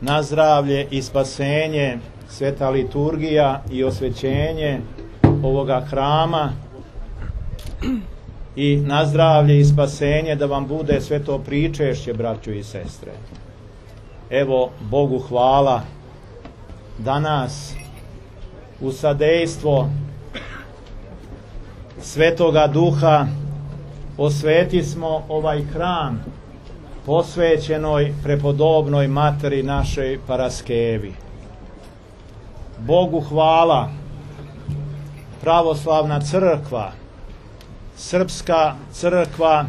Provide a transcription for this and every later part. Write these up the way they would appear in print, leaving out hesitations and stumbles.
na zdravlje i spasenje sveta liturgija i osvećenje ovoga hrama i na zdravlje i spasenje da vam bude sveto pričešće, braćo i sestre. Evo, Bogu hvala, danas u sadejstvo Svetoga Duha osveti smo ovaj hram posvećenoj prepodobnoj materi našoj Paraskevi. Bogu hvala, pravoslavna crkva, srpska crkva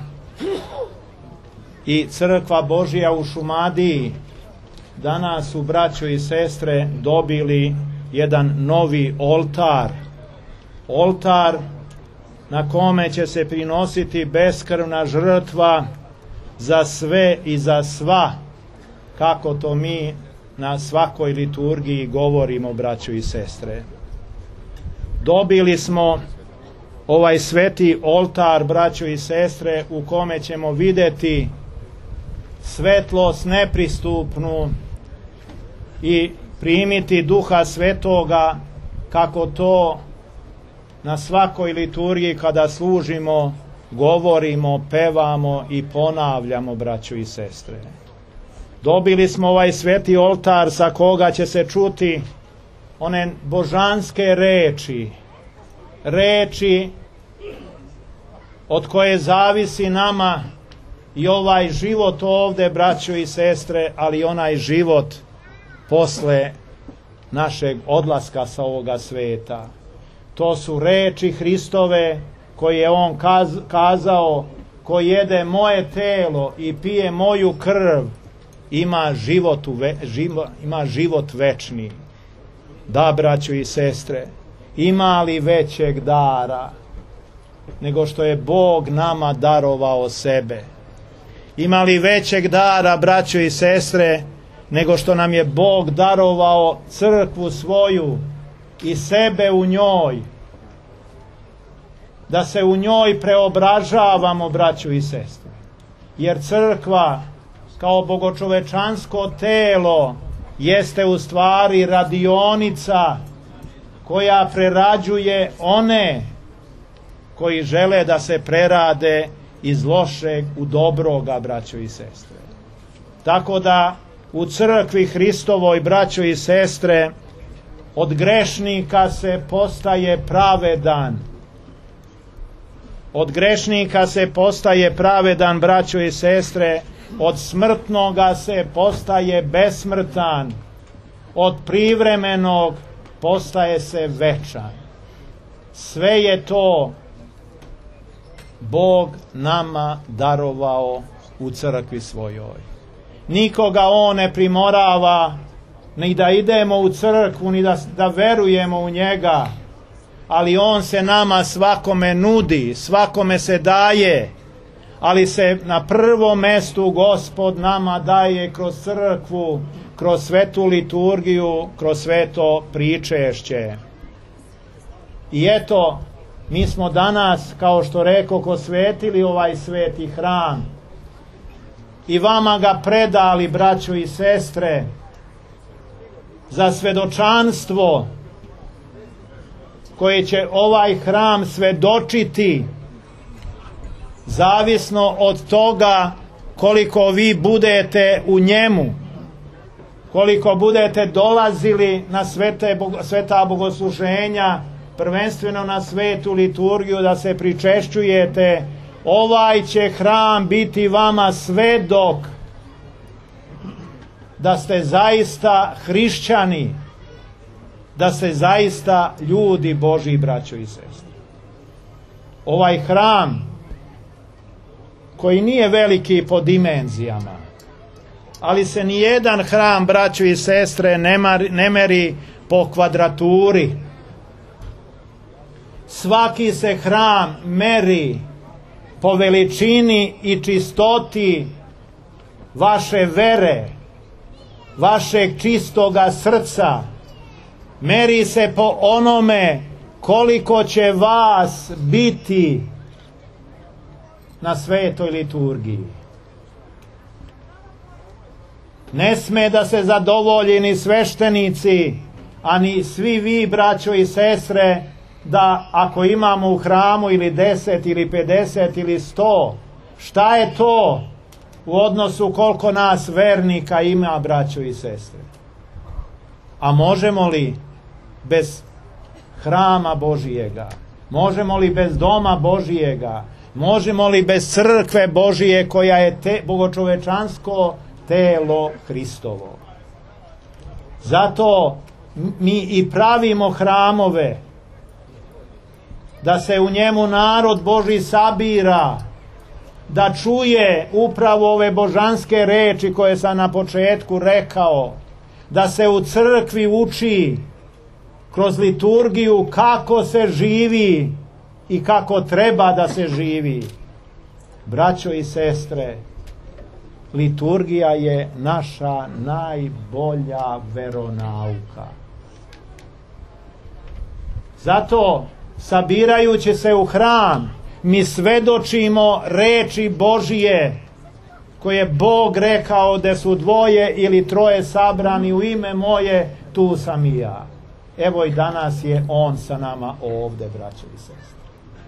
i crkva Božja u Šumadiji danas su, braćo i sestre, dobili jedan novi oltar. Oltar na kome će se prinositi beskrvna žrtva za sve i za sva, kako to mi na svakoj liturgiji govorimo, braćo i sestre. Dobili smo ovaj sveti oltar, braćo i sestre, u kome ćemo vidjeti svetlost nepristupnu i primiti Duha Svetoga, kako to na svakoj liturgiji kada služimo govorimo, pevamo i ponavljamo, braćo i sestre. Dobili smo ovaj sveti oltar sa koga će se čuti one božanske reči, reči od koje zavisi nama i ovaj život ovde, braćo i sestre, ali onaj život posle našeg odlaska sa ovoga sveta. To su reči Hristove koje je on kazao: ko jede moje telo i pije moju krv ima život večni. Da, braćo i sestre, ima li većeg dara nego što je Bog nama darovao sebe? Ima li većeg dara, braćo i sestre, nego što nam je Bog darovao crkvu svoju i sebe u njoj, da se u njoj preobražavamo, braćo i sestre? Jer crkva kao bogočovečansko telo jeste u stvari radionica koja prerađuje one koji žele da se prerade iz lošeg u dobroga, braćo i sestre. Tako da u crkvi Hristovoj, braćo i sestre, od grešnika se postaje pravedan. Od grešnika se postaje pravedan, braćo i sestre. Od smrtnoga se postaje besmrtan. Od privremenog postaje se večan. Sve je to Bog nama darovao u crkvi svojoj. Nikoga on ne primorava ni da idemo u crkvu, ni da verujemo u njega, ali on se nama svakome nudi, svakome se daje, ali se na prvom mestu Gospod nama daje kroz crkvu, kroz svetu liturgiju, kroz sveto pričešće. I eto, mi smo danas, kao što rekoh, osvetili ovaj sveti hram i vama ga predali, braćo i sestre, za svedočanstvo koje će ovaj hram svedočiti, zavisno od toga koliko vi budete u njemu, koliko budete dolazili na sveta bogosluženja, prvenstveno na svetu liturgiju, da se pričešćujete. Ovaj će hram biti vama svedok da ste zaista hrišćani, da ste zaista ljudi Božji, braćo i sestre. Ovaj hram, koji nije veliki po dimenzijama, ali se nijedan hram, braćo i sestre, ne meri po kvadraturi. Svaki se hram meri po veličini i čistoti vaše vere, vašeg čistoga srca. Meri se po onome koliko će vas biti na svetoj liturgiji. Ne sme da se zadovolji ni sveštenici, a ni svi vi, braćo i sestre, da ako imamo u hramu ili 10 ili 50 ili 100, šta je to u odnosu koliko nas vernika ima, braćo i sestre? A možemo li bez hrama Božijega? Možemo li bez doma Božijega? Možemo li bez crkve Božije koja je bogočovečansko telo Hristovo? Zato mi i pravimo hramove, da se u njemu narod Božji sabira, da čuje upravo ove božanske reči koje sam na početku rekao, da se u crkvi uči kroz liturgiju kako se živi i kako treba da se živi. Braćo i sestre, liturgija je naša najbolja veronauka. Zato, sabirajući se u hram, mi svedočimo reči Božije, koje Bog rekao da su 2 ili 3 sabrani u ime moje, tu sam i ja. Evo i danas je On sa nama ovde, braćo i sestre.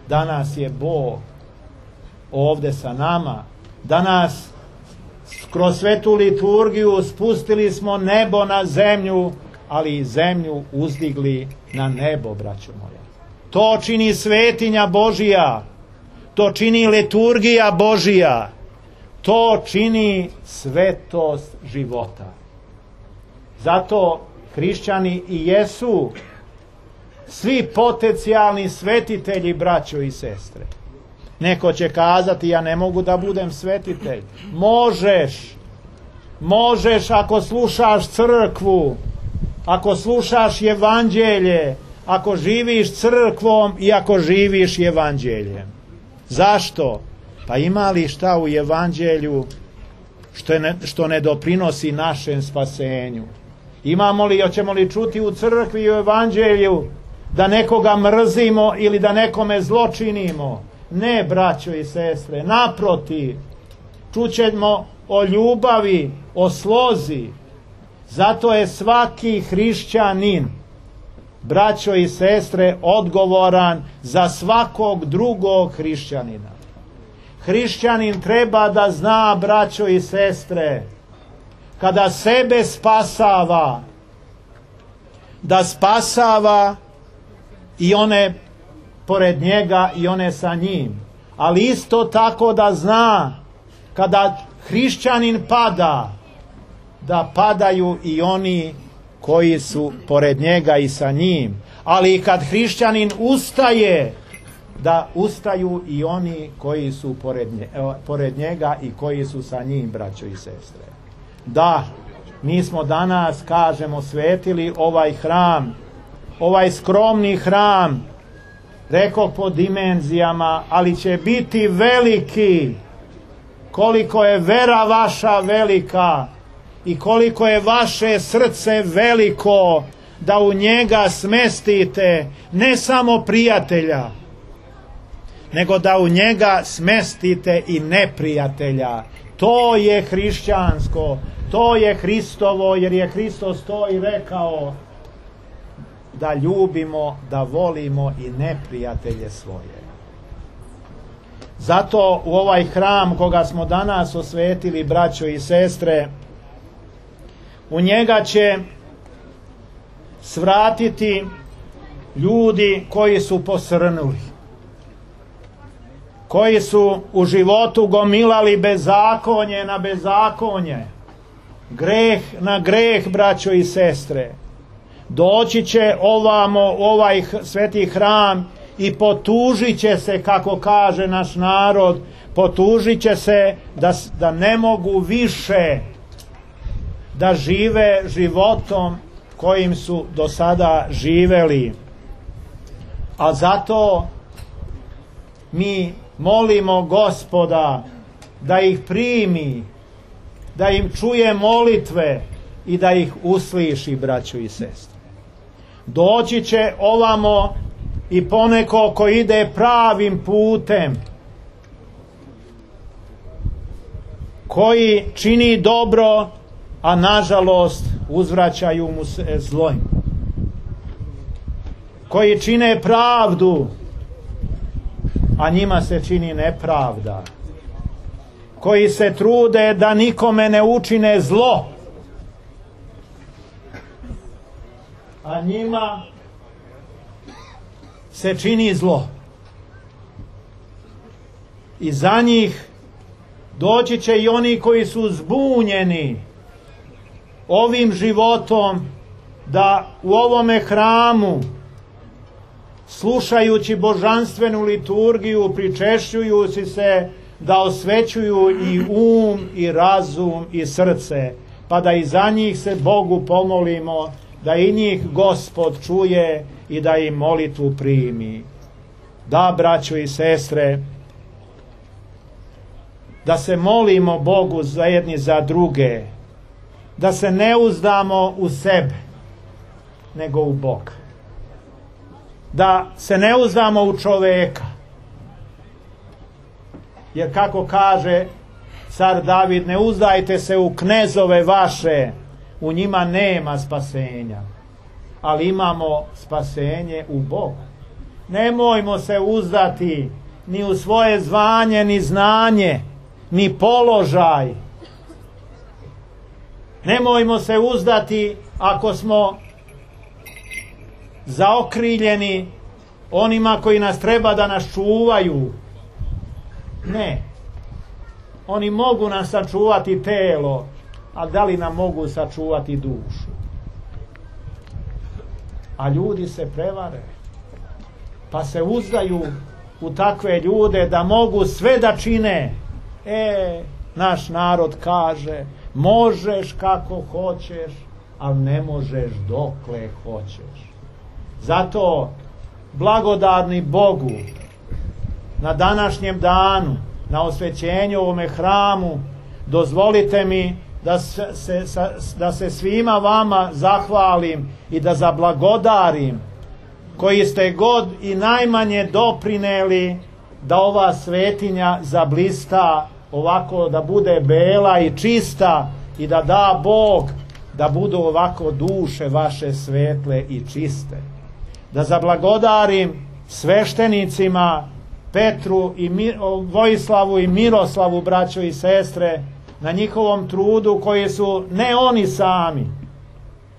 Danas je Bog ovde sa nama. Danas kroz svetu liturgiju spustili smo nebo na zemlju, ali i zemlju uzdigli na nebo, braćo moja. To čini svetinja Božija, to čini liturgija Božija, to čini svetost života. Zato hrišćani i jesu svi potencijalni svetitelji, braćo i sestre. Neko će kazati, ja ne mogu da budem svetitelj. Možeš ako slušaš crkvu, ako slušaš evanđelje, ako živiš crkvom i ako živiš evanđeljem. Zašto? Pa ima li šta u evanđelju što ne doprinosi našem spasenju? Imamo li, hoćemo li čuti u crkvi i u evanđelju da nekoga mrzimo ili da nekome zločinimo? Ne, braćo i sestre, naprotiv, čućemo o ljubavi, o slozi. Zato je svaki hrišćanin, braćo i sestre, odgovoran za svakog drugog hrišćanina. Hrišćanin treba da zna, braćo i sestre, kada sebe spasava, da spasava i one pored njega i one sa njim. Ali isto tako da zna, kada hrišćanin pada, da padaju i oni koji su pored njega i sa njim. Ali i kad hrišćanin ustaje, da ustaju i oni koji su pored njega i koji su sa njim, braćo i sestre. Da, mi smo danas, kažemo, svetili ovaj hram, ovaj skromni hram, rekao po dimenzijama, ali će biti veliki. Koliko je vera vaša velika i koliko je vaše srce veliko, da u njega smestite ne samo prijatelja, nego da u njega smestite i neprijatelja. To je hrišćansko, to je Hristovo, jer je Hristos to i rekao, da ljubimo, da volimo i neprijatelje svoje. Zato u ovaj hram koga smo danas osvetili, braćo i sestre, u njega će svratiti ljudi koji su posrnuli, koji su u životu gomilali bezakonje na bezakonje, greh na greh, braćo i sestre. Doći će ovamo ovaj sveti hram i potužit će se, kako kaže naš narod, potužit će se da ne mogu više da žive životom kojim su do sada živeli. A zato mi molimo Gospoda da ih primi, da im čuje molitve i da ih usliši, braćo i sestre. Doći će ovamo i poneko ko ide pravim putem, koji čini dobro a nažalost uzvraćaju mu se zlom, koji čine pravdu, a njima se čini nepravda, koji se trude da nikome ne učine zlo, a njima se čini zlo. I za njih doći će i oni koji su zbunjeni ovim životom, da u ovome hramu, slušajući božanstvenu liturgiju, pričešćujući se, da osvećuju i i razum i srce, pa da i za njih se Bogu pomolimo, da i njih Gospod čuje i da im molitvu primi. Da, braćo i sestre, da se molimo Bogu jedni za druge, da se ne uzdamo u sebe, nego u Boga. Da se ne uzdamo u čoveka, jer kako kaže car David, ne uzdajte se u knezove vaše, u njima nema spasenja, ali imamo spasenje u Bogu. Nemojmo se uzdati ni u svoje zvanje, ni znanje, ni položaj. Nemojmo se uzdati ako smo zaokriljeni onima koji nas treba da nas čuvaju. Ne. Oni mogu nam sačuvati telo, a da li nam mogu sačuvati dušu? A ljudi se prevare, pa se uzdaju u takve ljude da mogu sve da čine. Naš narod kaže, možeš kako hoćeš, ali ne možeš dokle hoćeš. Zato blagodarni Bogu na današnjem danu, na osvećenju ovome hramu, dozvolite mi da se svima vama zahvalim i da zablagodarim, koji ste god i najmanje doprineli da ova svetinja zablista ovako, da bude bela i čista, i da da Bog da budu ovako duše vaše svetle i čiste. Da zablagodarim sveštenicima Petru i Vojislavu i Miroslavu, braćo i sestre, na njihovom trudu, koji su ne oni sami,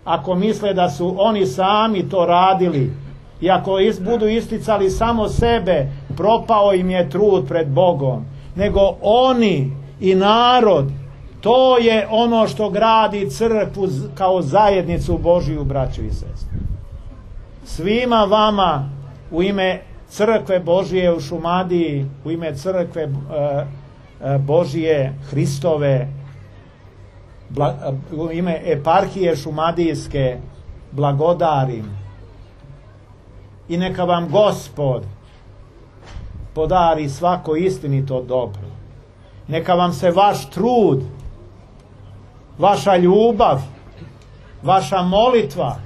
ako misle da su oni sami to radili, i ako budu isticali samo sebe, propao im je trud pred Bogom, nego oni i narod. To je ono što gradi crkvu kao zajednicu Božiju, braćo i sestre. Svima vama u ime crkve Božije u Šumadiji, u ime crkve Božije Hristove, u ime eparhije šumadijske, blagodarim. I neka vam Gospod podari svako istinito dobro. Neka vam se vaš trud, vaša ljubav, vaša molitva,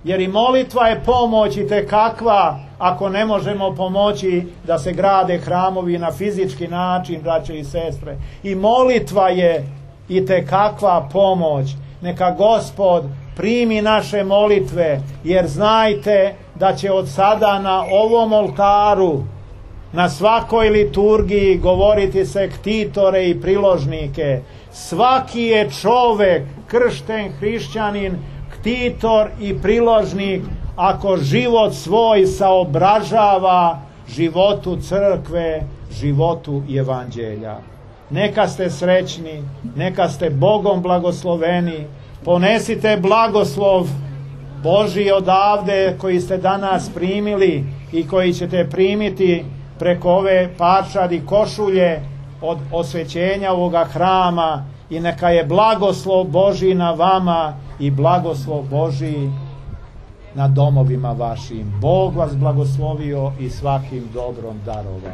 jer i molitva je pomoć itekakva, ako ne možemo pomoći da se grade hramovi na fizički način, braće i sestre. I molitva je itekakva pomoć. Neka Gospod primi naše molitve, jer znajte da će od sada na ovom oltaru, na svakoj liturgiji govoriti se ktitore i priložnike. Svaki je čovek, kršten hrišćanin, ktitor i priložnik, ako život svoj saobražava životu crkve, životu evanđelja. Neka ste srećni, neka ste Bogom blagosloveni, ponesite blagoslov Božji odavde koji ste danas primili i koji ćete primiti preko ove parčadi košulje od osvećenja ovoga hrama, i neka je blagoslov Božji na vama i blagoslov Božji na domovima vašim. Bog vas blagoslovio i svakim dobrom darovao.